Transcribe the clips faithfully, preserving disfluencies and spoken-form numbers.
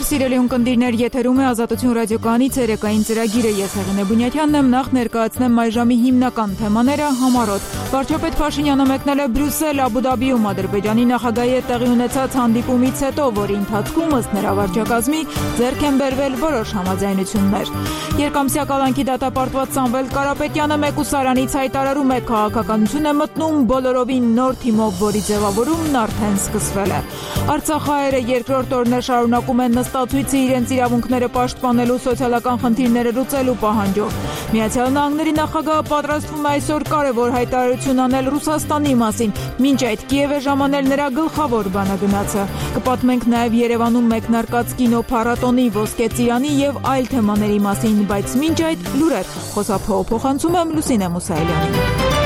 Սիրելի ունկնդիրներ, եթերում է Ազատություն ռադիոկայանի ցերեկային ծրագիրը։ Ես Հեղինե Բունյաթյանն եմ, նախ ներկայացնեմ այժմի հիմնական թեմաները համառոտ։ Վարչապետ Փաշինյանը մեկնել է Բրյուսել, Աբու Դաբիում Ադրբեջանի նախագահի հետ տեղի ունեցած հանդիպումից հետո, որի ընթացքում ըստ նրա վարչակազմի ձեռք են բերվել որոշ համաձայնություններ։ Երկամսյա կալանքի դատապարտված Սամվել Կարապետյանը մեկուսարանից հայտարարում է, քաղաքականություն է մտնում բոլորովին նոր թիմով, որի ձևավորումն արդեն սկսվել է։ Արցախահայերը երկրորդ օրն շարունակում են նստացույցը իրենց իրավունքները պաշտպանելու սոցիալական խնդիրները լուծելու պահանջով։ Միացյալ Նահանգների նախագահը պատրաստվում է այսօր կարևոր հայտարարություն անել Ռուսաստանի մասին, մինչ այդ Կիև է ժամանել նրա գլխավոր բանագնացը։ Կպատմենք նաև Երևանում մեկնարկած կինոփառատոնի, Ոսկե ծիրանի եւ այլ թեմաների մասին, բայց մինչ այդ լուրեր խոսափողը փոխանցում եմ Լուսինե Մուսայելյանին։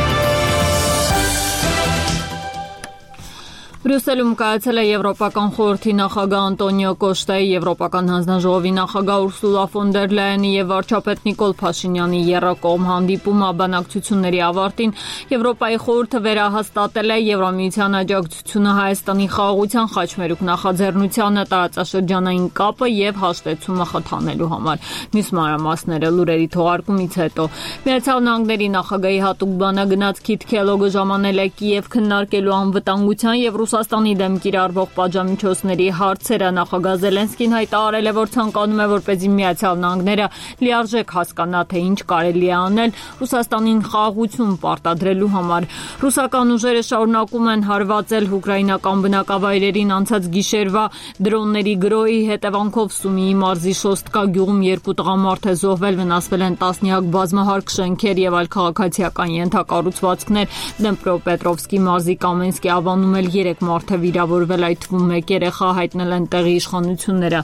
Բրյուսելում կայացել է Եվրոպական խորհրդի նախագահ Անտոնիո Կոշտայի, Եվրոպական հանձնաժողովի նախագահ Ուրսուլա ֆոն դեր Լայենի եւ վարչապետ Նիկոլ Փաշինյանի եռակողմ հանդիպումը բանակցությունների ավարտին Եվրոպայի խորհուրդը վերահաստատել է Եվրամիության աջակցությունը Հայաստանի խաղաղության խաչմերուկ նախաձեռնությանը, տարածաշրջանային կապը եւ հաշտեցումը խթանելու համար։ Մյուս մանրամասները լուրերի թողարկումից հետո Միացյալ Նահանգների նախագահի հատուկ բանագնաց Քիթ Քելոգը ժամանել է Կիև քննարկելու անվտանգության եւ Ռուսաստանի դեմ կիրառվող պատժամիջոցների հարցերը։ Նախագահ Զելենսկին հայտարարել է, որ ցանկանում է, որպեսզի Միացյալ Նահանգները լիարժեք հասկանա, թե ինչ կարելի է անել Ռուսաստանին խաղաղություն պարտադրելու համար։ Ռուսական ուժերը շարունակում են հարվածել ուկրաինական բնակավայրերին անցած գիշերվա դրոնների գրոհի հետևանքով Սումիի մարզի Շոստկա գյուղում երկու տղամարդ է զոհվել, վնասվել են տասնյակ բազմահարկ շենքեր եւ այլ քաղաքացիական ենթակառուցվածքներ։ Դնեպրոպետրովսկի մարզի Կամենսկի ավանում էլ երեք մարդ է վիրավորվել, այդ թվում մեկ երեխա, հայտնել են տեղի իշխանությունները։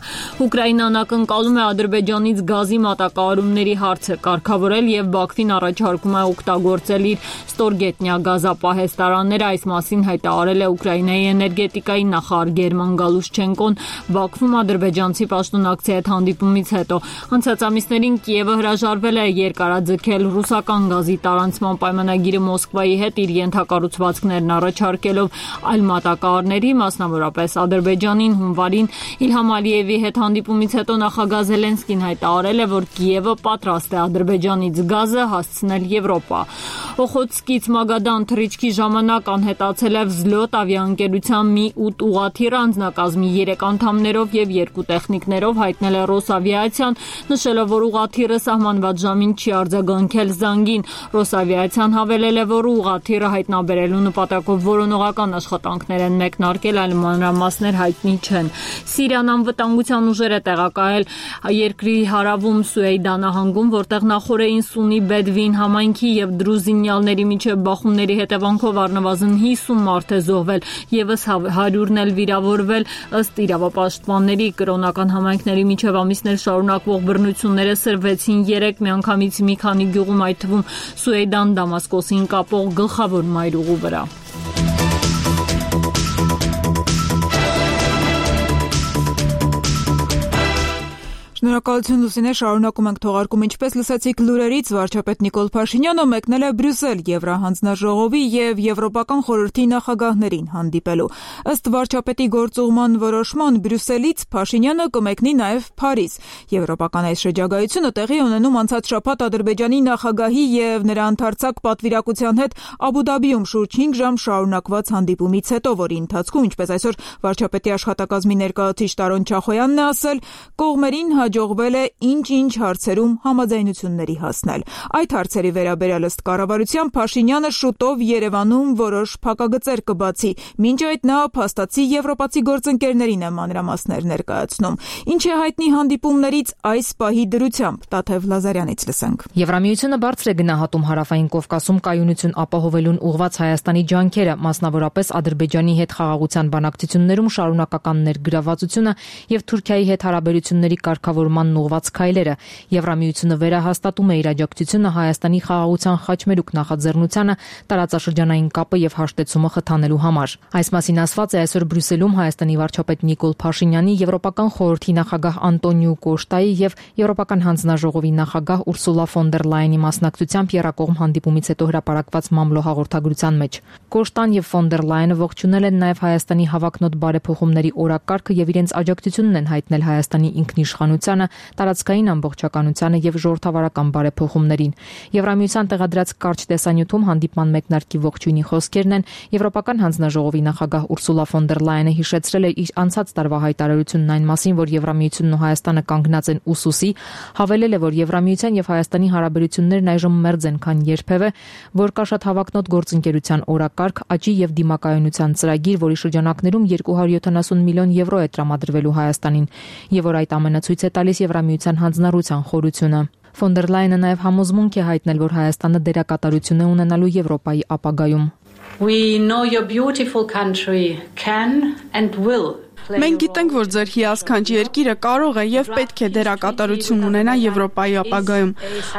Ուկրաինան ակնկալում է Ադրբեջանից գազի մատակարարումների հարցը կարգավորել եւ Բաքվին առաջարկում է օգտագործել իր ստորգետնյա գազապահեստարանները։ Այս մասին հայտարարել է Ուկրաինայի էներգետիկայի նախարար Գերման Գալուշչենկոն Բաքվում ադրբեջանցի պաշտոնակցի հետ հանդիպումից հետո։ Անցած ամիսներին Կիևը հրաժարվել է երկարաձգել ռուսական գազի տարանցման պայմանագիրը Մոսկվայի հետ իր ենթակառուցվածքներն առաջարկելով այլ մատակարարների, մասնավորապես Ադրբեջանին հունվարին Իլհամ Ալիևի հետ հանդիպումից հետո նախագահ Զելենսկին հայտարարել է, որ Կիևը պատրաստ է Ադրբեջանից գազը հասցնել Եվրոպա։ Օխոտսկից Մագադան թռիչքի ժամանակ անհետացել է Վզլոտ ավիաընկերության մի ութ ուղղաթիռ, անձնակազմի երեք անդամներով եւ երկու տեխնիկներով, հայտնել է Ռոսավիացիան, նշելով, որ ուղղաթիռը սահմանված ժամին չի արձագանքել զանգին։ Ռոսավիացիան հավելել է, որ ուղղաթիռը հայտնաբերելու նպատակով որոնողական աշխատանքներ են մեկնարկել, այլ մանրամասներ հայտնի չեն։ Սիրիան անվտանգության ուժեր է տեղակայել երկրի հարավում Սուեյդա նահանգում, որտեղ նախորդին Սունի Բեդվին համայնքի եւ դրուզինյալների միջև բախումների հետևանքով առնվազն հիսուն մարդ է զոհվել, եւս հարյուրն էլ վիրավորվել։ Ըստ իրավապաշտպանների, կրոնական համայնքների միջև ամիսներ շարունակվող բռնությունները սրվեցին երեք միանգամից մի քանի գյուղում, այդ թվում Սուեյդան Դամասկոսին կապող գլխավոր մայրուղու վրա։ Շնորհակալություն Լուսինե, շարունակում ենք թողարկում, ինչպես լսեցիք լուրերից, վարչապետ Նիկոլ Փաշինյանը մեկնել է Բրյուսել Եվրահանձնաժողովի եւ Եվրոպական խորհրդի նախագահներին հանդիպելու։ Ըստ վարչապետի գործուղման որոշման Բրյուսելից Փաշինյանը կմեկնի նաեւ Փարիզ։ Եվրոպական այս շրջագայությունը տեղի ունենում անցած շաբաթ Ադրբեջանի նախագահի եւ նրա ընդարձակ պատվիրակության հետ Աբու Դաբիում շուրջ հինգ ժամ շարունակված հանդիպումից հետո, որի ընթացքում, ինչպես այսօր վարչապետի աշխատակազմի ներկայացուցիչ Տարոն Չախոյանն է ասել, կողմերին հաջողվել է ինչ-ինչ հարցերում համաձայնությունների հասնել։ Այդ հարցերի վերաբերյալ ըստ կառավարության Փաշինյանը շուտով Երևանում որոշ փակագծեր կբացի, մինչ այդ նա փաստացի եվրոպացի գործընկերներին է մանրամասներ ներկայացնում։ Ինչ է հայտնի հանդիպումներից այս պահի դրությամբ, Տաթև Լազարյանից լսենք։ Եվրամիությունը բարձր է գնահատում Հարավային Կովկասում կայունություն ապահովելուն ուղղված Հայաստանի ջանքերը, մասնավորապես Ադրբեջանի հետ խաղաղության բանակցություններում շարունակական ներգրավվածությունը եւ Թուրքիայի հետ հարաբերությունների կարգավորման նմանն ուղղված քայլերը։ Եվրամիությունը վերահաստատում է իր աջակցությունը Հայաստանի խաղաղության խաչմերուկ նախաձեռնությանը տարածաշրջանային կապը եւ հաշտեցումը խթանելու համար։ Այս մասին ասված է այսօր Բրյուսելում Հայաստանի վարչապետ Նիկոլ Փաշինյանի, Եվրոպական խորհրդի նախագահ Անտոնիո Կոշտայի եւ Եվրոպական հանձնաժողովի նախագահ Ուրսուլա ֆոն դեր Լայենի մասնակցությամբ եռակողմ հանդիպումից հետո հրապարակված մամլո հաղորդագրության մեջ։ Կոշտան եւ ֆոն դեր Լայենը ողջունել են նաեւ Հայաստանի հավակնոտ բարեփոխումների օրակարգը եւ իրենց աջակցությունն են հայտնել Հայաստանի ինքնիշխանությանը, տարածքային ամբողջականությանը եւ ժողովրդավարական բարեփոխումներին։ Եվրամիության տեղադրած կարճ տեսանյութում հանդիպման մեկնարկի ողջույնի խոսքերն են։ Եվրոպական հանձնաժողովի նախագահ Ուրսուլա ֆոն դեր Լայենը հիշեցրել է իր անցած տարվա հայտարարությունն այն մասին, որ Եվրամիությունն ու Հայաստանը կանգնած են ուսուսի, հավելել է, որ Եվրամիության եւ Հայաստանի հարաբերություններն այժմ մերձ են, քան երբևէ, որ կա շատ հավակնոտ գործընկերության օրակարգ, աճի եւ դիմակայունության ծրագիր, որի շրջանակներում երկու հարյուր յոթանասուն միլիոն եվրո է տրամադրվելու Հայաստանին, եւ որ այդ ամենը ցույց է տալիս Եվրամիության հանձնառության խորությունը։ Ֆոն դեր Լայենը նաեւ համոզմունք է հայտնել, որ Հայաստանը դերակատարություն է ունենալու Եվրոպայի ապագայում։ We know your beautiful country can and will. Մենք գիտենք, որ ձեր հիասքանչ երկիրը կարող է եւ պետք է դերակատարություն ունենա Եվրոպայի ապագայում։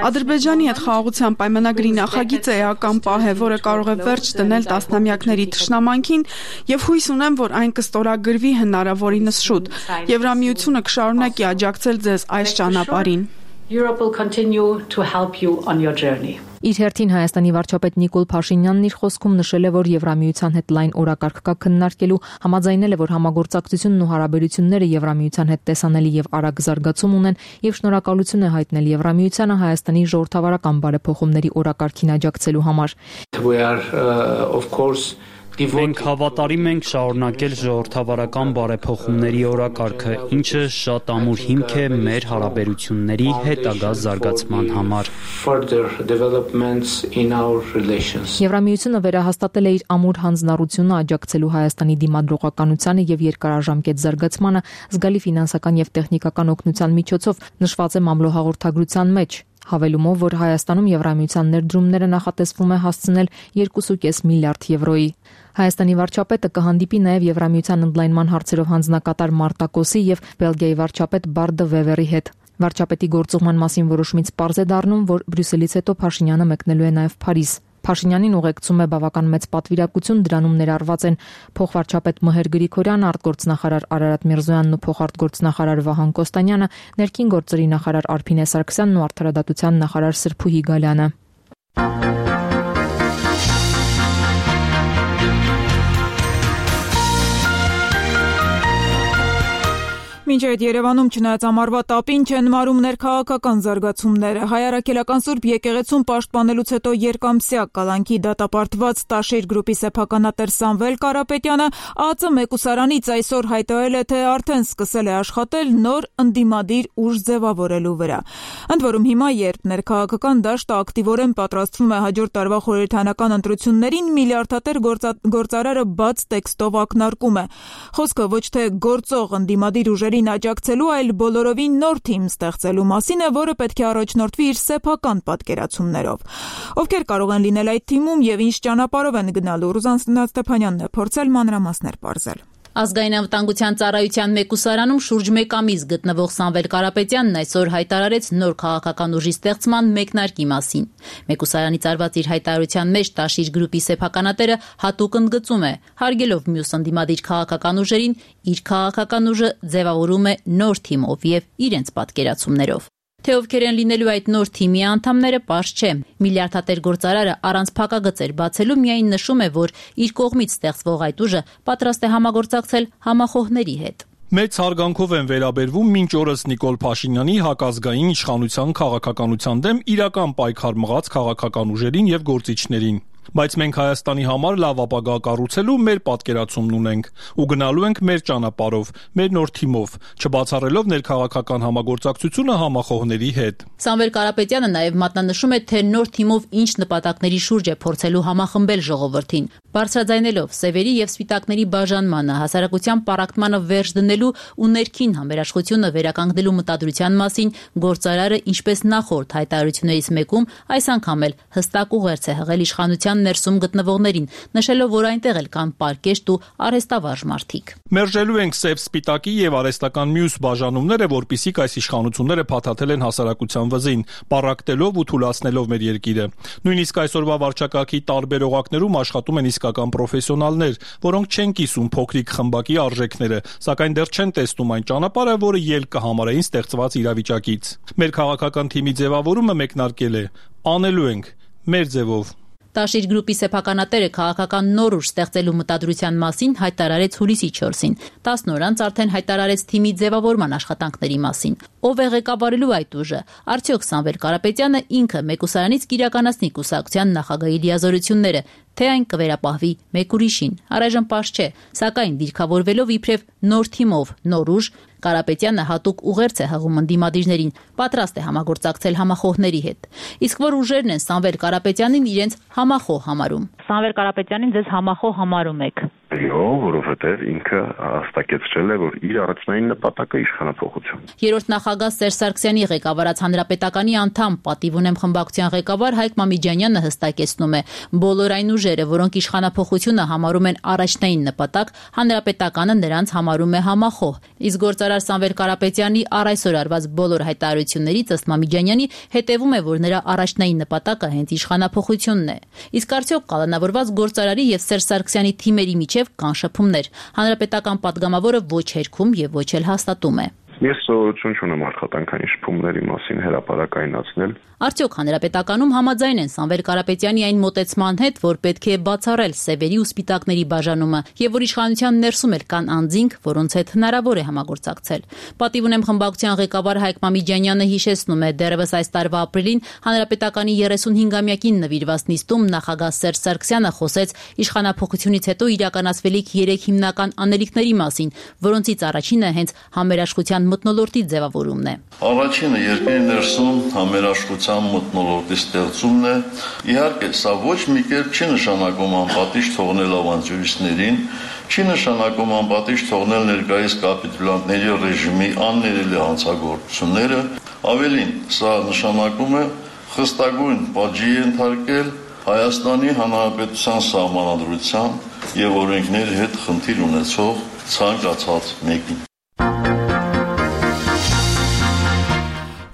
Ադրբեջանի հետ խաղաղության պայմանագրի նախագիծը էական պահ է, որը կարող է վերջ դնել տասնամյակների թշնամանքին եւ հույս ունեմ, որ այն կստորագրվի հնարավորինս շուտ։ Եվրամիությունը կշարունակի աջակցել ձեզ այս ճանապարհին։ Europe will continue to help you on your journey. Իր հերթին Հայաստանի վարչապետ Նիկոլ Փաշինյանն իր խոսքում նշել է, որ Եվրամիության հետ լայն օրակարգ կա քննարկելու, համաձայնել է, որ համագործակցությունն ու հարաբերությունները Եվրամիության հետ տեսանելի եւ արագ զարգացում ունեն եւ շնորհակալություն է հայտնել Եվրամիությանը Հայաստանի ժողովրդավարական բարեփոխումների օրակարգին աջակցելու համար։ We are uh, of course Մենք հավատարիմ ենք շարունակել ժողովրդավարական բարեփոխումների օրակարգը, ինչը շատ ամուր հիմք է մեր հարաբերությունների հետագա զարգացման համար։ Եվրամիությունը վերահաստատել է իր ամուր հանձնառությունը աջակցելու Հայաստանի դիմադրողականությանը եւ երկարաժամկետ զարգացմանը զգալի ֆինանսական եւ տեխնիկական օգնության միջոցով, նշված է մամլո հաղորդագրության մեջ։ Հավելումով, որ Հայաստանում Եվրամիության ներդրումները նախատեսվում է հասցնել երկու կόμμα պենս միլիարդ եվրոյի։ Հայաստանի վարչապետը կհանդիպի նաև Եվրամիության ընդլայնման հարցերով հանձնակատար Մարտակոսի եւ Բելգիայի վարչապետ Բարդը Վևերի հետ։ Վարչապետի գործուղման մասին որոշումից պարզ է դառնում, որ Բրյուսելից հետո Փաշինյանը մեկնելու է նաև Փարիզ։ Փաշինյանին ուղեկցում է բավական մեծ պատվիրակություն, դրանում ներառված են փոխվարչապետ Մհեր Գրիգորյանը, արտգործնախարար Արարատ Միրզոյանն ու փոխարտգործնախարար Վահան Կոստանյանը, ներքին գործերի նախարար Արփինե Սարգսյանն ու արդարադատության նախարար Սրփուհի Գալյանը։ Մինչ այդ Երևանում չնայած ամառվա տապին չեն մարում ներքաղաքական զարգացումները։ Հայ առաքելական Սուրբ եկեղեցում պաշտպանելուց հետո երկամսյա կալանքի դատապարտված Տաշիր գրուպի սեփականատեր Սամվել Կարապետյանը ԱԱԾ մեկուսարանից այսօր հայտարարել է, թե արդեն սկսել է աշխատել նոր ընդդիմադիր ուժ ձևավորելու վրա։ Ընդ որում հիմա, երբ ներքաղաքական դաշտը ակտիվորեն պատրաստվում է հաջորդ տարվա խորհրդարանական ընտրություններին, միլիարդատեր գործարարը բաց տեքստով ակնարկում է։ Խոսքը ոչ թե գործող ընդդիմադիր ուժերի աջակցելու, այլ բոլորովին նոր թիմ ստեղծելու մասին է, որը պետք է առաջնորդվի իր սեփական պատկերացումներով։ Ովքեր կարող են լինել այդ թիմում եւ ինչ ճանապարհով են գնալու, Ռուզան Ստեփանյանն է փորձել մանրամասներ պարզել։ Ազգային անվտանգության ծառայության մեկուսարանում շուրջ մեկ ամիս գտնվող Սամվել Կարապետյանն այսօր հայտարարեց նոր քաղաքական ուժի ստեղծման մեկնարկի մասին։ Մեկուսարանից արված իր հայտարարության մեջ Տաշիր գրուպի սեփականատերը հատուկ ընդգծում է, հարգելով մյուս ընդդիմադիր քաղաքական ուժերին, իր քաղաքական ուժը ձևավորում է նոր թիմով եւ իրենց պատկերացումներով։ Թե ովքեր են լինելու այդ նոր թիմի անդամները, պարզ չէ։ Միլիարդատեր գործարարը առանց փակագծեր բացելու միայն նշում է, որ իր կողմից ստեղծվող այդ ուժը պատրաստ է համագործակցել համախոհների հետ։ Մեծ հարգանքով են վերաբերվում մինչ օրս Նիկոլ Փաշինյանի հակազգային իշխանության քաղաքականության դեմ իրական պայքար մղած քաղաքական ուժերին եւ գործիչներին։ Բայց մենք Հայաստանի համար լավ ապագա կառուցելու մեր պատկերացումն ունենք ու գնալու ենք մեր ճանապարհով, մեր նոր թիմով, չբացառելով ներքաղաքական համագործակցությունը համախոհների հետ։ Սամվել Կարապետյանը նաև մատնանշում է, թե նոր թիմով ինչ նպատակների շուրջ է փորձելու համախմբել ժողովրդին։ Բարձրաձայնելով սևերի եւ սպիտակների բաժանմանը, հասարակության պառակտմանը վերջ դնելու ու ներքին համերաշխությունը վերականգնելու մտադրության մասին գործարարը, ինչպես նախորդ հայտարարություններից մեկում, այս անգամ էլ հստակ ուղերձ է հղել իշխանության իշխանության ներսում գտնվողներին, նշելով, որ այնտեղ էլ կան պարկեշտ ու արհեստավարժ մարդիկ։ Մերժելու ենք սև սպիտակի եւ արհեստական մյուս բաժանումները, որպիսիք այս իշխանությունները փաթաթել են հասարակության վզին, պառակտելով ու թուլացնելով մեր երկիրը։ Նույնիսկ այսօրվա վարչակարգի տարբեր օղակներում աշխատում են իսկական պրոֆեսիոնալներ, որոնք չեն կիսում փոքրիկ խմբակի արժեքները, սակայն դեռ չեն տեսնում այն ճանապարհը, որը ելք կհամարեին ստեղծված իրավիճակից։ Մեր քաղաքական թիմի ձևավորումը մեկնարկել է. անելու ենք մեր ձևով։ Տաշիր գրուպի սեփականատերը քաղաքական նոր ուժ ստեղծելու մտադրության մասին հայտարարեց հուլիսի չորսին։ տասն օր անց արդեն հայտարարեց թիմի ձևավորման աշխատանքների մասին։ Ով է ղեկավարելու այդ ուժը։ Արդյոք Սամվել Կարապետյանը ինքը Մեկուսարանից կիրականացնի կուսակցության նախագահի լիազորությունները, թե այն կվերապահվի մեկ ուրիշին։ Առայժմ պարզ չէ, սակայն դիրքավորվելով իբրև նոր թիմով, նոր ուժ, Կարապետյանը հատուկ ուղերձ է հղում ընդդիմադիրներին, պատրաստ է համագործակցել համախոհների հետ։ Իսկ որ ուժերն են Սամվել Կարապետյանին իրենց համախոհ համարում։ Սամվել Կարապետյանին ձեզ համախոհ համարում եք։ Այո, որովհետև ինքը հստակեցրել է, որ իր առաջնային նպատակը իշխանափոխություն։ Երրորդ նախագահ Սերժ Սարգսյանի ղեկավարած Հանրապետականի անդամ, պատիվ ունեմ խմբակցության ղեկավար Հայկ Մամիջանյանը հստակեցնում է, բոլոր այն ուժերը, որոնք իշխանափոխությունը համարում են առաջնային նպատակ, Հանրապետականը նրանց համարում է համախոհ։ Իսկ գործարար Սամվել Կարապետյանի առ այսօր արված բոլոր հայտարարություններից ըստ Մամիջանյանի հետևում է, որ նրա առաջնային նպատակը հենց իշխանափոխությունն է։ Իսկ արդյոք կալանավորված գործարարի եւ Սերժ Սարգսյանի թիմերի միջև կան շփումներ։ Հանրապետական падգամավորը ոչ հերքում եւ ոչ էլ հաստատում է։ Ես սովորություն չունեմ աշխատանքային շփումների մասին հրապարակայնացնել։ Արդյոք Հանրապետականում համաձայն են Սամվել Կարապետյանի այն մոտեցման հետ, որ պետք է բացառել սևերի ու սպիտակների բաժանումը եւ որ իշխանության ներսում էլ կան անձինք, որոնց հետ հնարավոր է համագործակցել։ Պատիվ ունեմ խմբակցության ղեկավար Հայկ Մամիջանյանը հիշեցնում է, դեռևս այս տարվա ապրիլին Հանրապետականի երեսունհինգամյակին նվիրված նիստում նախագահ Սերժ Սարգսյանը խոսեց իշխանափոխությունից հետո իրականացվելիք երեք հիմնական անելիքների մասին, որոնցից առաջինը հենց համերաշխության մթնոլորտի ձևավորումն է։ Առաջինը երկրի ներսում համերաշխության մթնոլորտի ստեղծումն է։ Իհարկե, սա ոչ մի կերպ չի նշանակում անպատիժ թողնել ավանտյուրիստներին, չի նշանակում անպատիժ թողնել ներկայիս կապիտուլյանտների ռեժիմի աններելի հանցագործությունները, ավելին, սա նշանակում է խստագույն պատժի ենթարկել Հայաստանի Հանրապետության սահմանադրության եւ օրենքների հետ խնդիր ունեցող ցանկացած մեկին։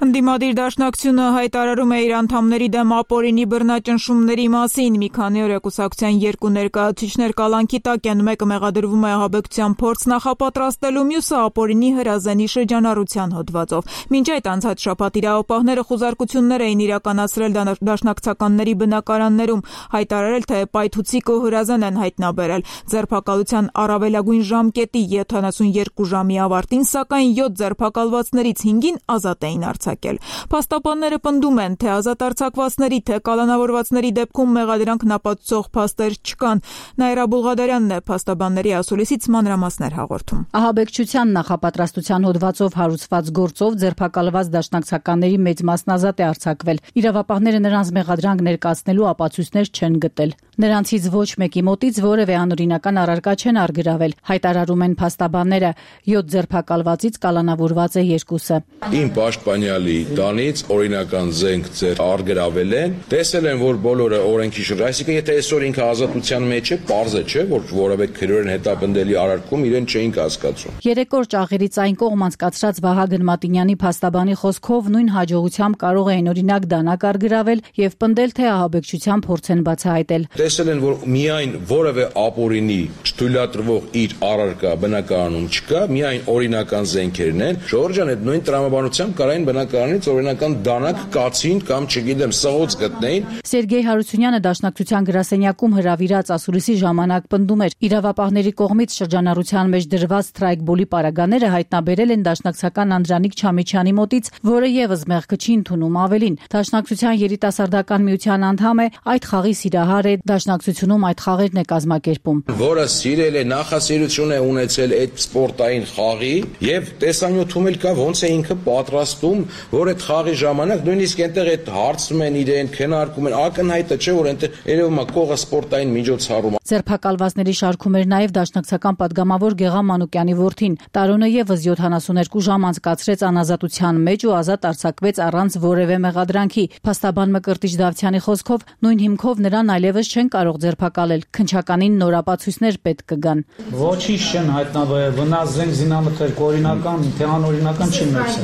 Ընդդիմադիր դաշնակցությունը հայտարարում է իր անդամների դեմ ապօրինի բռնաճնշումների մասին։ Մի քանի օր է կուսակցության երկու ներկայացուցիչներ կալանքի տակ են, մեկը մեղադրվում է ահաբեկչության փորձ նախապատրաստելու, մյուսը ապօրինի հրազենի շրջանառության հոդվածով։ Մինչ այդ անցած շաբաթ իրավապահները խուզարկություններ էին իրականացրել դաշնակցականների բնակարաններում, հայտարարել, թե պայթուցիկ ու հրազեն են հայտնաբերել։ Ձերբակալության առավելագույն ժամկետի յոթանասունյոթ ժամի ավարտին, սակայն յոթ ձերբակալվածներից հինգին ազատ էին արձակել։ Փաստաբանները պնդում են, թե ազատ արձակվածների, թե կալանավորվածների դեպքում մեղադրանքն ապացուցող փաստեր չկան։ Նաիրա Բուլղադարյանն է փաստաբանների ասուլիսից մանրամասներ հաղորդում։ Ահաբեկչության նախապատրաստության հոդվածով հարուցված գործով ձերբակալված դաշնակցականների մեծ մասն ազատ է արձակվել։ Իրավապահները նրանց մեղադրանք ներկայացնելու ապացույցներ չեն գտել։ Նրանցից ոչ մեկի մոտից որևէ անօրինական առարկա չեն արգրավել, հայտարարում են փաստաբանները։ յոթ ձերբակալվածից կալանավորված է երկուսը։ Իմ պաշտպանյալի տանից օրինական զենք ձեր արգրավել են, տեսել են, որ բոլորը օրենքի շուրջ, այսինքն եթե այսօր ինքը ազատության մեջ է, պարզ է, չէ, որ որևէ քրորեն հետապնդելի արարքում իրեն չէին կասկածում։ Երեք օր ճաղերից այն կողմ անցկացրած Վահագն Մատինյանի փաստաբանի խոսքով նույն հաջողությամբ կարող էին օրինակ դանակ արգրավել եւ պնդել, թե ահաբեկչության փորձ են բացահայտել։ Տեսել են, որ միայն որևէ ապօրինի չթույլատրվող իր առարկա բնակարանում չկա, միայն օրինական զենքերն են։ Ժորժան այդ նույն տրամաբանությամբ կարային բնակարանից օրինական դանակ կացին կամ չգիտեմ սղոց գտնեին։ Սերգեյ Հարությունյանը դաշնակցության գրասենյակում հրավիրած ասուլիսի ժամանակ պնդում էր, իրավապահների կողմից շրջանառության մեջ դրված սթրայքբոլի պարագաները հայտնաբերել են դաշնակցական Անդրանիկ Չամիչյանի մոտից, որը եւս մեղքը չի ընդունում ավելին։ Դաշնակցության երիտասարդական միության անդամ է, այդ խաղի սիրահար է, դաշնակցությունում այդ խաղերն է կազմակերպում։ Որը սիրել է, նախասիրություն է ունեցել այդ սպորտային խաղի եւ տեսանյութում էլ կա ոնց է ինքը պատրաստում որ այդ խաղի ժամանակ նույնիսկ այնտեղ այդ հարցում են իրեն, քննարկում են, ակնհայտ է, չէ՞ որ այնտեղ երևում է կողը սպորտային միջոցառում։ Ձերբակալվածների շարքում էր նաև դաշնակցական պատգամավոր Գեղամ Մանուկյանի որդին։ Տարոնը եւս յոթանասուներկու ժամ անցկացրեց անազատության մեջ ու ազատ արձակվեց առանց որևէ մեղադրանքի։ Փաստաբան Մկրտիչ Դավթյանի խոսքով նույն հիմքով նրան այլևս չեն կարող ձերբակալել։ Քննչականին նոր ապացույցներ պետք կգան։ Ոչինչ չեն հայտնաբերել, վնաս զենք զինամթերք օրինական, թե անօրինական չի ունեցել։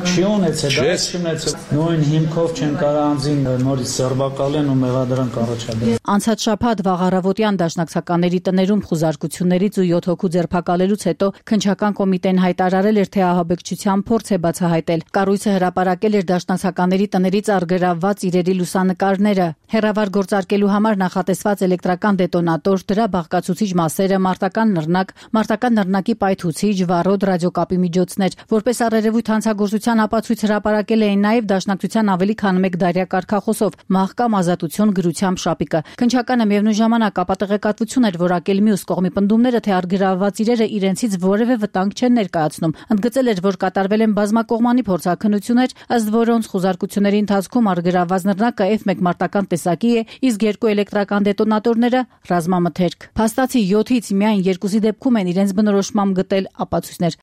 Չի ունեցել, դա չի ունեցել։ Նույն հիմքով չեն կարող անձին նորից ձերբակալեն ու մեղադրանք առաջադրեն։ Անցած շաբաթ վաղ առավոտյան դաշնակցականների տներում խուզարկություններից ու յոթ հոգու ձերբակալելուց հետո քննչական կոմիտեն հայտարարել էր, թե ահաբեկչության փորձ է բացահայտել։ Կառույցը հրապարակել էր դաշնակցականների տներից առգրավված իրերի լուսանկարները։ Հեռավար գործարկելու համար նախատեսված էլեկտրական դետոնատոր, դրա բաղկացուցիչ մասերը, մարտական նռնակ, մարտական նռնակի պայթուցիչ, վառոդ, ռադիոկապի միջոցներ։ Որպես առերևույթ հանցագործության ապացույց հրապարակել էին նաև դաշնակցության ավելի քան մեկ դարյա կարգախոսով՝ մահկամ ազատություն գրությամբ շապիկը։ Քննչականը միևնույն ժամանակ ապատեղեկատվություն էր որակել մյուս կողմի պնդումները, թե առգրավված իրերը իրենցից որևէ վտանգ չեն ներկայացնում։ Ընդգծել էր, որ կատարվել են բազմակողմանի փորձաքննություններ, ըստ որոնց խուզարկությունների ընթացքում առգրավված նռնակը Էֆ մեկ մարտական տեսակի է, իսկ երկու էլեկտրական դետոնատորները ռազմամթերք։ Փաստացի յոթից միայն երկուսի դեպքում են իրենց բնորոշմամբ գտել ապացույցներ։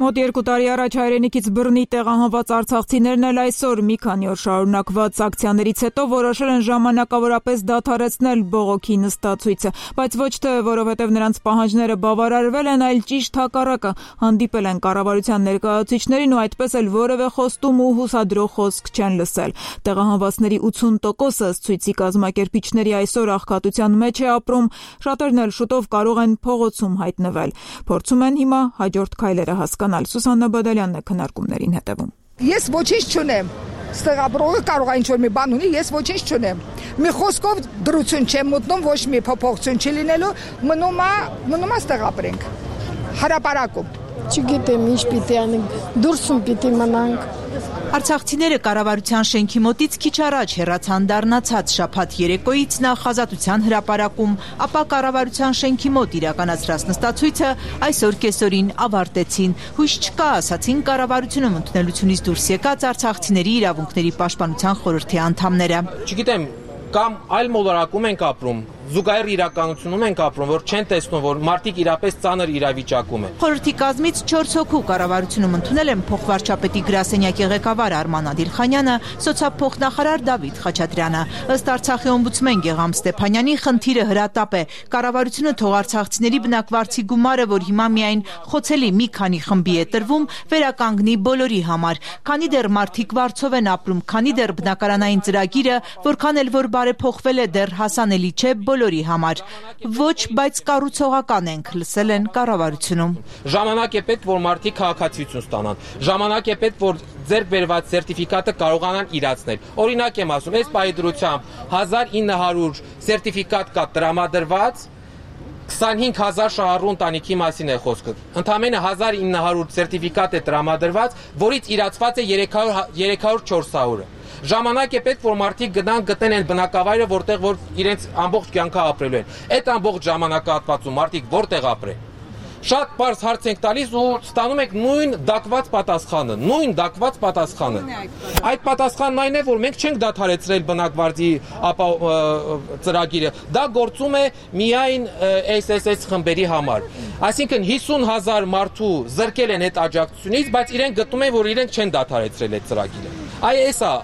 Մոտ երկու տարի առաջ հայրենիքից բռնի տեղահանված արցախցիներն էլ այսօր մի քանի օր շարունակված ակցիաներից հետո որոշել են ժամանակավորապես դադարեցնել բողոքի նստացույցը, բայց ոչ թե որովհետև նրանց պահանջները բավարարվել են, այլ ճիշտ հակառակը, հանդիպել են կառավարության ներկայացուցիչներին ու այդպես էլ որևէ խոստում ու հուսադրող խոսք չեն լսել։ Տեղահանվածների ութուն տոկոսը ցույցի կազմակերպիչների այսօր աղքատության մեջ է ապրում, շատերն էլ շուտով կարող են փողոցում հայտնվել։ Փորձում են հիմա հաջորդ քայլերը հասկանալ։ Սուսաննա Բադալյանն է քննարկումներին հետևում։ Ես ոչինչ չունեմ։ Ստեղաբրողը կարող է ինչ-որ մի բան ունի, ես ոչինչ չունեմ։ Մի խոսքով դրություն չեմ մտնում, ոչ մի փոփոխություն չի լինելու, մնում է, մնում է ստեղաբրենք։ Հրապարակում։ Չգիտեմ ինչ պիտի անենք, դուրսում պիտի մնանք։ Արցախցիները կառավարության շենքի մոտից քիչ առաջ հեռացան դառնացած շաբաթ երեկոյից նախ Ազատության հրապարակում, ապա կառավարության շենքի մոտ իրականացրած նստացույցը այսօր կեսօրին ավարտեցին։ Հույս չկա, ասացին կառավարությունում ընդունելությունից դուրս եկած արցախցիների իրավունքների պաշտպանության խորհրդի անդամները։ Չգիտեմ, կամ այլ մոլորակում ենք ապրում, զուգահեռ իրականությունում ենք ապրում, որ չեն տեսնում, որ մարդիկ իրապես ծանր իրավիճակում են։ Խորհրդի կազմից չորս հոգու կառավարությունում ընդունել են փոխվարչապետի գրասենյակի ղեկավար Արման Ադիլխանյանը, սոցիալփոխնախարար Դավիթ Խաչատրյանը։ Ըստ Արցախի օմբուդսմեն Գեղամ Ստեփանյանի, խնդիրը հրատապ է։ Կառավարությունը թող արցախցիների բնակվարձի գումարը, որ հիմա միայն խոցելի մի քանի խմբի է տրվում, վերականգնի բոլորի համար։ Քանի դեռ մարդիկ վարձով են ապրում, քանի դեռ բնակարանային ծրագիրը, որքան էլ որ բարեփոխվել է, դեռ հասանելի չէ բոլորի համար։ Ոչ, բայց կառուցողական ենք, լսել են կառավարությունում։ Ժամանակ է պետք, որ մարդիկ քաղաքացիություն ստանան։ Ժամանակ է պետք, որ ձեռք բերված սերտիֆիկատը կարողանան իրացնել։ Օրինակ եմ ասում, այս պայդրությամբ հազար ինը հարյուր սերտիֆիկատ կա տրամադրված, քսանհինգ հազար շահառու ընտանիքի մասին է խոսքը։ Ընդամենը հազար ինը հարյուր սերտիֆիկատ է տրամադրված, որից իրացված է երեք հարյուր չորս հարյուրը։ Ժամանակ է պետք, որ մարդիկ գնան գտնեն այն բնակավայրը, որտեղ որ իրենց ամբողջ կյանքը ապրելու են։ Այդ ամբողջ ժամանակահատվածում մարդիկ որտեղ ապրեն։ Շատ բարձ հարց ենք տալիս ու ստանում ենք նույն դակված պատասխանը, նույն դակված պատասխանը։ Այդ պատասխանն այն է, որ մենք չենք դադարեցրել բնակվարձի ծրագիրը։ Դա գործում է միայն էս էս էս խմբերի համար։ Այսինքն հիսուն հազար մարդու զրկել են այդ աջակցությունից, բայց իրենք գտնում են, որ իրենք չեն դադարեցրել այդ ծրագիրը։ Այ էսա։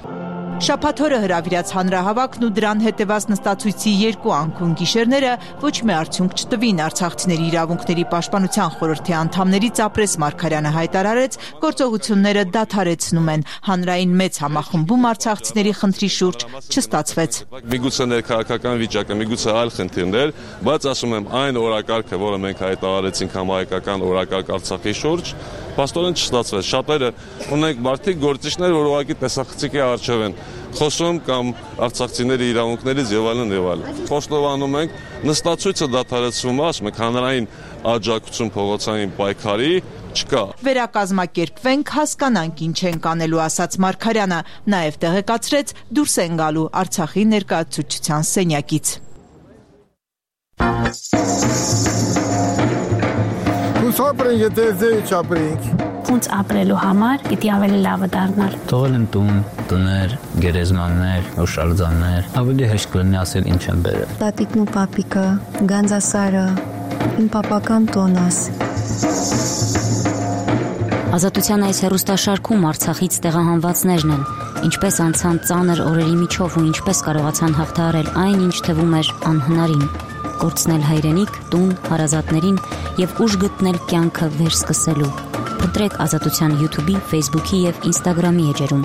Շաբաթօրը հրավիրած հանրահավաքն ու դրան հետևած նստացույցի երկու անկուն գիշերները ոչ մի արդյունք չտվին։ Արցախցիների իրավունքների պաշտպանության խորհրդի անդամներից Ապրես Մարգարյանը հայտարարեց, գործողությունները դադարեցնում են։ Հանրային մեծ համախմբում արցախցիների խնդրի շուրջ չստացվեց։ Միգուցե ներքաղաքական վիճակը, միգուցե այլ խնդիրներ, բայց ասում եմ, այն օրակարգը, որը մենք հայտարարեցինք համահայկական օրակարգ Արցախի շուրջ, փաստորեն չստացվեց։ Շատերը ունենք մարդիկ գործիչներ, որ ուղղակի տեսախցիկի առջև են խոսում կամ արցախցիների իրավունքներից եւ այլն եւ այլն։ Խոստովանում ենք, նստացույցը դադարեցվում է, ասում ենք, հանրային աջակցություն փողոցային պայքարի չկա։ Վերակազմակերպվենք, հասկանանք ինչ ենք անելու, ասաց Մարգարյանը, նաև տեղեկացրեց դուրս են գալու Արցախի ներկայացուցչության սենյակից։ Ապրենք, եթե ձեի չապրենք։ Ոնց ապրելու համար պիտի ավելի լավը դառնալ։ Թողել են տուն, տներ, գերեզմաններ, հուշարձաններ, ավելի հեշտ կլինի ասել ինչ են բերել։ Տատիկն ու պապիկը, Գանձասարը, իմ պապական տոնս։ Ազատության այս հեռուստաշարքում Արցախից տեղահանվածներն են, ինչպես անցան ծանր օրերի միջով ու ինչպես կարողացան հաղթահարել այն, ինչ թվում էր անհնարին, կորցնել հայրենիք, տուն, հարազատներին եւ ուժ գտնել կյանքը վերսկսելու։ Փնտրեք Ազատության YouTube-ի, Facebook-ի եւ Instagram-ի էջերում։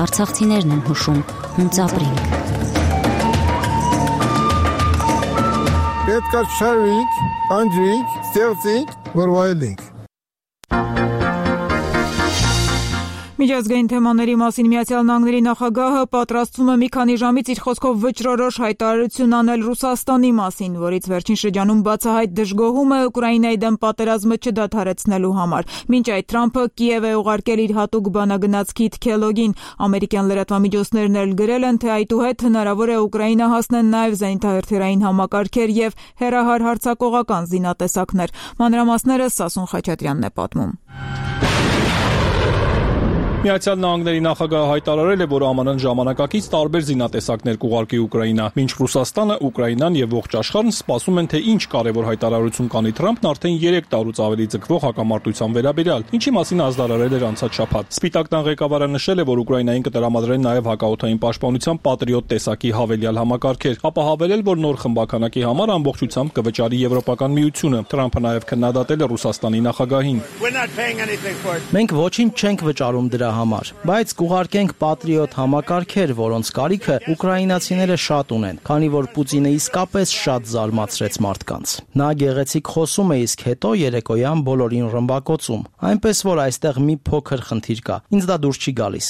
Արցախցիներն են հուշում, հունց ապրենք։ Պետք է շարվենք, անջրենք, ստեղծենք, որ վայելենք։ Միջազգային թեմաների մասին Միացյալ Նահանգների նախագահը պատրաստվում է մի քանի ժամից իր խոսքով վճռորոշ հայտարարություն անել Ռուսաստանի մասին, որից վերջին շրջանում բացահայտ դժգոհում է Ուկրաինայի դեմ պատերազմը չդադարեցնելու համար։ Մինչ այդ Թրամփը Կիև է ուղարկել իր հատուկ բանագնաց Քիթ Քելոգին։ Ամերիկյան լրատվամիջոցներն էլ գրել են, թե այդուհետ հնարավոր է Ուկրաինա հասնեն նաև զենիթահրթիռային համակարգեր եւ հեռահար հարձակողական զինատեսակներ։ Մանրամասները Սասուն Խաչատրյանն է պատմում։ Միացյալ Նահանգների նախագահը հայտարարել է, որ ԱՄՆ-ն ժամանակակից տարբեր զինատեսակներ կուղարկի Ուկրաինա, մինչ Ռուսաստանը, Ուկրաինան եւ ողջ աշխարհն սպասում են, թե ինչ կարևոր հայտարարություն կանի Թրամփն արդեն երեք տարուց ավելի ձգվող հակամարտության վերաբերյալ, ինչի մասին ազդարարել էր անցած շաբաթ։ Սպիտակ տան ղեկավարը նշել է, որ Ուկրաինային կտրամադրեն նաև հակաօդային պաշտպանության Patriot տեսակի հավելյալ համակարգեր, ապա հավելել, որ նոր խմբականակի համար ամբողջությամբ կվճարի Եվրոպական միությունը։ Թրամփը նաև քննադատել է Ռուսաստանի նախագահին։ Մենք ոչինչ չենք վճարում դրա համար, բայց կուղարկենք Patriot համակարգեր, որոնց կարիքը ուկրաինացիները շատ ունեն, քանի որ Պուտինը իսկապես շատ զարմացրեց մարդկանց։ Նա գեղեցիկ խոսում է, իսկ հետո երեկոյան բոլորին ռմբակոծում, այնպես որ այստեղ մի փոքր խնդիր կա։ Ինձ դա դուրս չի գալիս։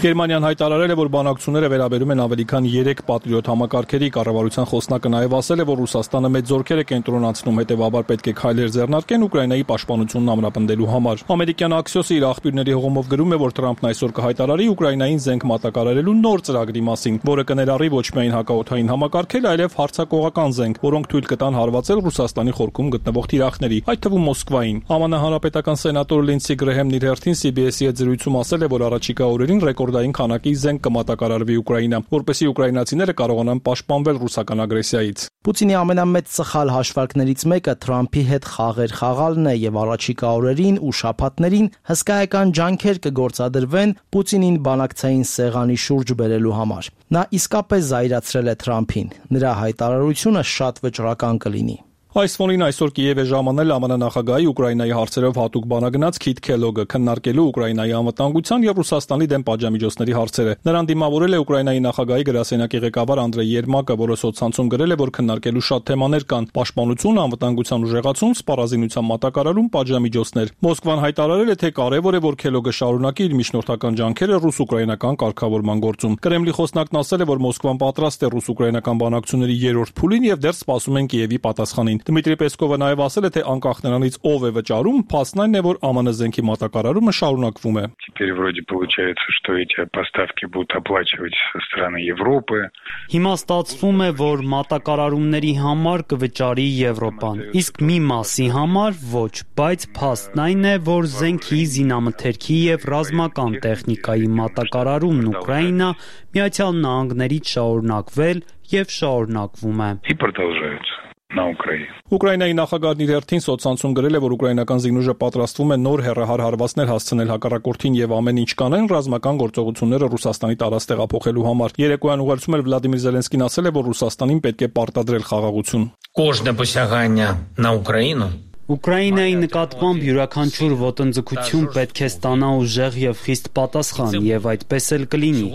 Գերմանիան հայտարարել է, որ բանակցությունները վերաբերում են ավելի քան երեք Patriot համակարգերի։ Կառավարության խոսնակը նաև ասել է, որ Ռուսաստանը մեծ զորքեր է կենտրոնացնում, հետևաբար պետք է քայլեր ձեռնարկեն Ուկրաինայի պաշտպանությունն ամրապնդելու համար։ Ամերիկյան Axios-ը իր աղբյուրների հողումով գրում է, որ Թրամփն այսօր կհայտարարի Ուկրաինային զենք մատակարարելու նոր ծրագրի մասին, որը կներառի ոչ միայն հակաօդային համակարգեր, այլև հարձակողական զենք, որոնք թույլ կտան հարվածել Ռուսաստանի խորքում գտնվող թիրախների, այդ թվում Մոսկվային։ ԱՄՆ հանրապետական սենատոր Լինսի Գրեհեմն իր հերթին C B S-ի հետ զրույցում ասել է, որ առաջիկա օրերին ռեկորդային քանակի զենք կմատակարարվի Ուկրաինա, որպեսզի ուկրաինացիները կարողանան պաշտպանվել ռուսական ագրեսիայից։ Պուտինի ամենամեծ սխալ հաշվարկներից մեկը Թրամփի հետ խաղեր խաղալն է եւ առաջիկա օրերին ու շաբաթներին հսկայական ջանքեր կգործադրվեն Պուտինին բանակցային սեղանի շուրջ բերելու համար։ Նա իսկապես զայրացրել է Թրամփին։ Նրա հայտարարությունը շատ վճռական կլինի։ Այս ֆոնին այսօր Կիև է ժամանել ԱՄՆ նախագահի Ուկրաինայի հարցերով հատուկ բանագնաց Քիթ Քելոգը քննարկելու Ուկրաինայի անվտանգության եւ Ռուսաստանի դեմ պատժամիջոցների հարցերը։ Նրան դիմավորել է Ուկրաինայի նախագահի գրասենյակի ղեկավար Անդրեյ Երմակը, որը սոցցանցում գրել է, որ քննարկելու շատ թեմաներ կան՝ պաշտպանություն, անվտանգության ուժեղացում, սպառազինության մատակարարում, պատժամիջոցներ։ Մոսկվան հայտարարել է, թե կարևոր է, որ Քելոգը շարունակի իր միջնորդական ջանքերը ռուս-ուկրաինական կարգավորման գործում։ Կրեմլի խոսնակն ասել է, որ Մոսկվան պատրաստ է ռուս-ուկրաինական բանակցությունների երրորդ փուլին եւ դեռ սպասում են Կիևի պատասխանին։ Դմիտրի Պեսկովը նաև ասել է, թե անկախ նրանից ով է վճարում, փաստն այն է, որ ԱՄՆ զենքի մատակարարումը շարունակվում է։ Теперь вроде получается, что эти поставки будут оплачивать со стороны Европы. Հիմա ստացվում է, որ մատակարարումների համար կվճարի Եվրոպան, իսկ մի մասի համար ոչ, բայց փաստն այն է, որ զենքի, զինամթերքի եւ ռազմական տեխնիկայի մատակարարումն Ուկրաինա Միացյալ Նահանգներից շարունակվել եւ շարունակվում է։ И продолжаются. На Украине. Ուկրաինայի նախագահն իր հերթին սոցցանցում գրել է, որ ուկրաինական զինուժը պատրաստվում է նոր հեռահար հարվածներ հասցնել հակառակորդին եւ ամեն ինչ կանեն ռազմական գործողությունները Ռուսաստանի տարած տեղափոխելու համար։ Երեկոյան ուղերձում էլ Վլադիմիր Զելենսկին ասել է, որ Ռուսաստանին պետք է պարտադրել խաղաղություն։ Кожне посягання на Україну Ուկրաինայի նկատմամբ յուրաքանչյուր ոտնձգություն պետք է ստանա ուժեղ եւ խիստ պատասխան, եւ այդպես էլ կլինի։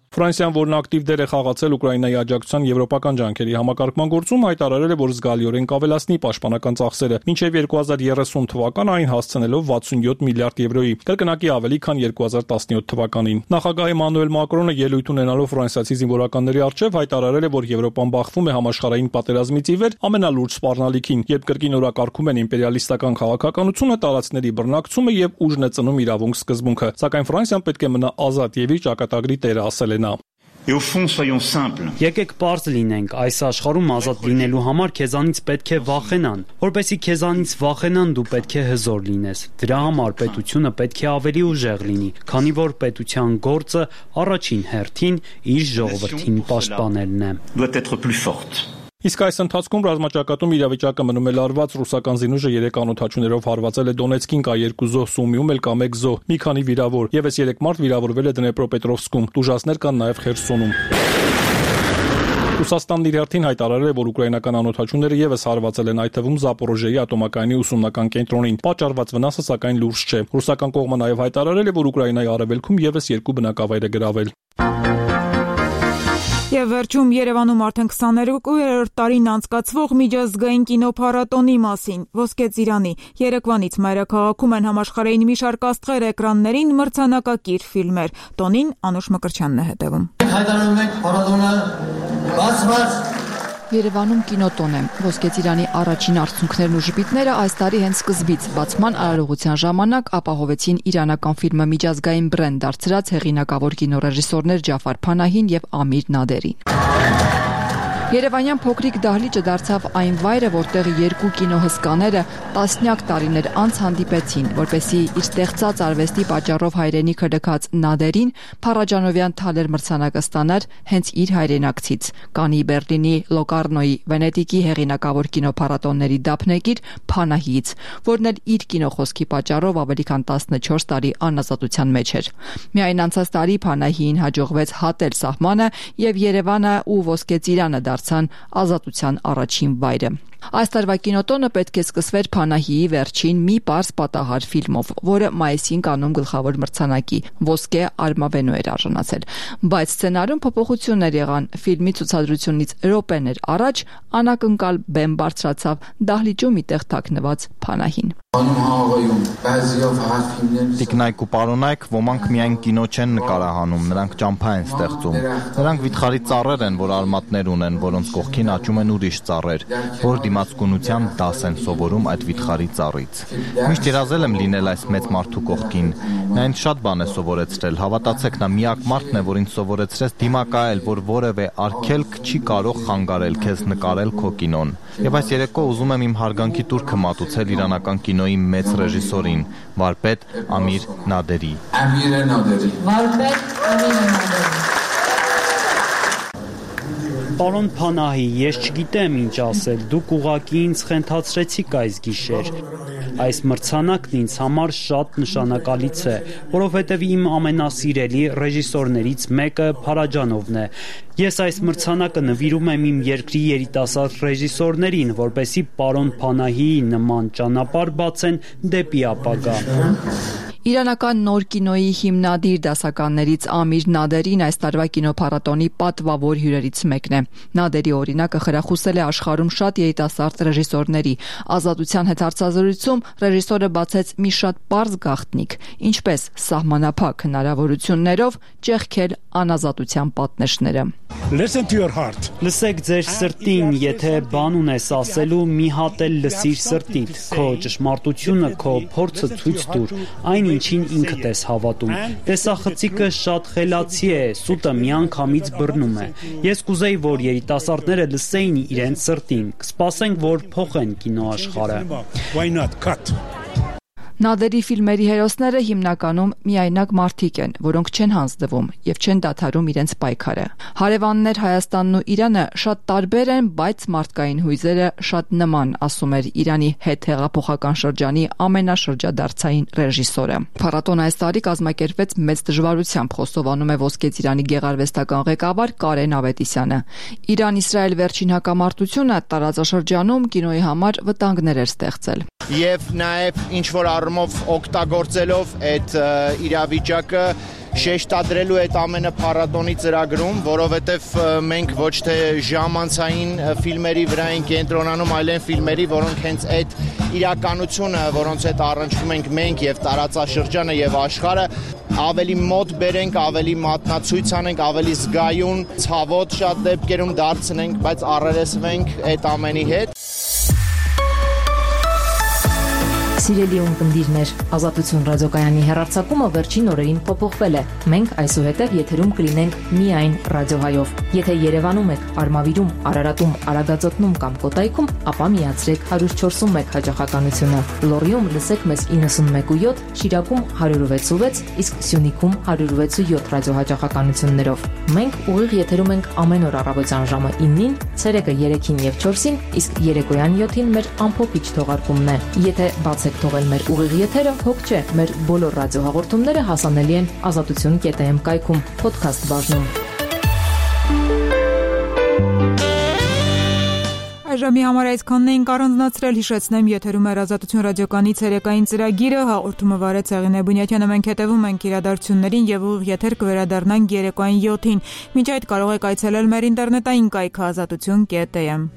Ֆրանսիան, որն ակտիվ դեր է խաղացել Ուկրաինայի աջակցության եվրոպական ջանքերի համակարգման գործում, հայտարարել է, որ զգալիորեն կավելացնի պաշտպանական ծախսերը, մինչև երկու հազար երեսուն թվական այն հասցնելով վաթսունյոթ միլիարդ եվրոյի, կրկնակի ավելի քան երկու հազար տասնյոթ թվականին։ Նախագահ Էմանուել Մակրոնը ելույթ ունենալով ֆրանսիացի զինվորականների առջև հայտարարել է, որ Եվրոպան բախվում է համաշխարհային պատերազմից ի վեր ամենալուրջ սպառնալիքին, երբ կրկին օրակարգում են իմպերիալիստական քաղաքականությունը, տարածքների բռնակցումը եւ ուժն է ծնում իրավունք սկզբունքը, սակայն Ֆրանսիան պետք է մնա ազատ եւ իր ճակատագրի տերը, ասել է նա։ Եկեք պարզ լինենք, այս աշխարհում ազատ լինելու համար քեզանից պետք է վախենան, որպեսզի քեզանից վախենան դու պետք է հզոր լինես։ Դրա համար պետությունը պետք է ավելի ուժեղ լինի, քանի որ պետության գործը առաջին հերթին իր ժողովրդին պաշտպանելն է։ Իսկ այս ընթացքում ռազմաճակատում իրավիճակը մնում է լարված, ռուսական զինուժը երեք անօդաչուներով հարվածել է Դոնեցկին, կա երկու զոհ, Սումիում էլ կա մեկ զոհ, մի քանի վիրավոր, եւս երեք մարդ վիրավորվել է Դնեպրոպետրովսկում, տուժածներ կան նաեւ Խերսոնում։ Ռուսաստանն իր հերթին հայտարարել է, որ ուկրաինական անօդաչուները եւս հարվածել են, այդ թվում Զապորոժիեի ատոմակայանի ուսումնական կենտրոնին։ Պատճառված վնասը սակայն լուրջ չէ։ Ռուսական կողմը նաեւ հայտարարել է, որ Ուկրաինայի արևելքում եւս երկու բնակավայր է գրավել։ Եվ վերջում Երևանում արդեն քսաներկուերորդ տարին անցկացվող միջազգային կինոփառատոնի մասին։ Ոսկե ծիրանի երեկվանից մայրաքաղաքում են համաշխարհային մի շարք աստղեր էկրաններին, մրցանակակիր ֆիլմեր։ Տոնին Անուշ Մկրտչյանն է հետևում։ Հայտարարում ենք փառատոնը բացված։ Երևանում կինոտոն է։ Ոսկե ծիրանի առաջին արդյունքներն ու ժպիտները այս տարի հենց սկզբից բացման արարողության ժամանակ ապահովեցին իրանական ֆիլմը միջազգային բրենդ դարձրած հեղինակավոր կինոռեժիսորներ Ջաֆար Փանահին եւ Ամիր Նադերին։ Երևանյան փոքրիկ դահլիճը դարձավ այն վայրը, որտեղ երկու կինոհսկաները տասնյակ տարիներ անց հանդիպեցին, որպեսզի իր ստեղծած արվեստի պատճառով հայրենիքը լքած Նադերին Փարաջանովյան թալեր մրցանակը ստանար հենց իր հայրենակցից՝ Կանի, Բերլինի, Լոկարնոյի, Վենետիկի հեղինակավոր կինոփառատոնների դափնեկիր Փանահիից, որն էլ իր կինոխոսքի պատճառով ավելի քան տասնչորս տարի անազատության մեջ էր։ Միայն անցած տարի Փանահիին հաջողվեց հատել սահմանը եւ Երևանը ու Ոսկե ծիրանը դարձան ազատության առաջին վայրը։ Այս տարվա կինոտոնը պետք է սկսվեր Փանահիի վերջին մի պարզ պատահար ֆիլմով, որը մայիսին կանում գլխավոր մրցանակի ոսկե արմավենու էր արժանացել։ Բայց սցենարում փոփոխություններ եղան։ Ֆիլմի ցուցադրությունից րոպեներ առաջ անակնկալ բեմ բարձրացավ դահլիճում մի տեղ թաքնված Փանահին։ Տիկնայք ու պարոնայք, ոմանք միայն կինո չեն նկարահանում, նրանք ճամփա են ստեղծում։ Նրանք վիթխարի ծառեր են, որ արմատներ ունեն, որոնց կողքին աճում են ուրիշ ծառեր, որ դիմացկունությամբ դաս են սովորում այդ վիթխարի ծառից։ Միշտ երազել եմ լինել այս մեծ մարդու կողքին։ Նա ինձ շատ բան է սովորեցրել, հավատացեք, նա միակ մարդն է, որ ինձ սովորեցրեց դիմակայել, որ որևէ արգելք չի կարող խանգարել քեզ նկարել քո կինոն։ Եվ այս երեկո ուզում եմ իմ հարգանքի տուրքը մատուցել իրանական կինոյի մեծ ռեժիսորին, վարպետ Ամիր Նադերի։ Ամիր Նադերի։ Վարպետ Ամիր Նադերի։ Պարոն Փանահի, ես չգիտեմ ինչ ասել, դուք ուղղակի ինձ խենթացրեցիք այս գիշեր։ Այս մրցանակն ինձ համար շատ նշանակալից է, որովհետև իմ ամենասիրելի ռեժիսորներից մեկը Փարաջանովն է։ Ես այս մրցանակը նվիրում եմ իմ երկրի երիտասարդ ռեժիսորներին, որպեսզի պարոն Փանահիի նման ճանապարհ բացեն դեպի ապագա։ Իրանական նոր կինոյի հիմնադիր դասականներից Ամիր Նադերին այս տարվա կինոփառատոնի պատվավոր հյուրերից մեկն է։ Նադերի օրինակը խրախուսել է աշխարհում շատ երիտասարդ ռեժիսորների։ Ազատության հետ հարցազրույցում ռեժիսորը բացեց մի շատ պարզ գաղտնիք՝ ինչպես սահմանափակ հնարավորություններով ճեղքել անազատության պատնեշները։ Listen to your heart. Լսեք ձեր սրտին, եթե բան ունես ասելու, մի հատ էլ լսիր սրտիդ, քո ճշմարտությունը, քո փորձը ցույց տուր, այն ինչին ինքդ ես հավատում։ Տեսախցիկը շատ խելացի է, սուտը միանգամից բռնում է։ Ես կուզեի, որ երիտասարդները լսեին իրենց սրտին, կսպասենք, որ փոխեն կինոաշխարհը։ Why not cut? Նադերի ֆիլմերի հերոսները հիմնականում միայնակ մարդիկ են, որոնք չեն հանձնվում եւ չեն դադարում իրենց պայքարը։ Հարևաններ Հայաստանն ու Իրանը շատ տարբեր են, բայց մարդկային հույզերը շատ նման, ասում էր Իրանի հետհեղափոխական շրջանի ամենաշրջադարձային ռեժիսորը։ Փառատոնը այս տարի կազմակերպվեց մեծ դժվարությամբ, խոստովանում է Ոսկե ծիրանի գեղարվեստական ղեկավար Կարեն Ավետիսյանը։ Իրան-Իսրայել վերջին հակամարտությունը տարածաշրջանում կինոյի համար վտանգներ էր ստեղծել։ Եվ նաև ինչ որ առումով օգտագործելով այդ իրավիճակը շեշտադրելու այդ ամենը փառատոնի ծրագրում, որովհետև մենք ոչ թե ժամանցային ֆիլմերի վրա ենք կենտրոնանում, այլ այն ֆիլմերի, որոնք հենց այդ իրականությունը, որոնց հետ առնչվում ենք մենք եւ տարածաշրջանը եւ աշխարհը, ավելի մոտ բերենք, ավելի մատնացույց անենք, ավելի զգայուն, ցավոտ շատ դեպքերում դարձնենք, բայց առերեսվենք այդ ամենի հետ։ Սիրելի ունկնդիրներ, Ազատություն ռադիոկայանի հեռարձակումը վերջին օրերին փոփոխվել է։ Մենք այսուհետև եթերում կլինենք միայն ռադիոհայով։ Եթե Երևանում եք, Արմավիրում, Արարատում, Արագածոտնում կամ Կոտայքում, ապա միացրեք one oh four one հաջողականությունը։ Լոռիում լսեք մեզ ninety-one point seven, Շիրակում one oh six point six, իսկ Սյունիքում one oh six point seven ռադիոհաջողականություններով։ Մենք ուղիղ եթերում ենք ամեն օր առավոտյան ժամը nine-ին, ցերեկը three-ին եւ four-ին, իսկ երեկոյան seven-ին մեր ամփոփիչ թողարկումն է։ Եթե բաց եք թողել մեր ուղիղ եթերը, հոգ չէ, մեր բոլոր ռադիոհաղորդումները հասանելի են ազատություն կետ am կայքում, podcast բաժնում։ Այժմի համար այսքանն էինք առանձնացրել, հիշեցնեմ, եթերում է Ազատություն ռադիոկայանի ցերեկային ծրագիրը, հաղորդումը վարեց Հեղինե Բունյաթյանը, մենք հետևում ենք իրադարձություններին եւ ուղիղ եթեր կվերադառնանք երեկոյան seven-ին։ Մինչ այդ կարող եք այցելել մեր ինտերնետային կայքը ազատություն կետ am։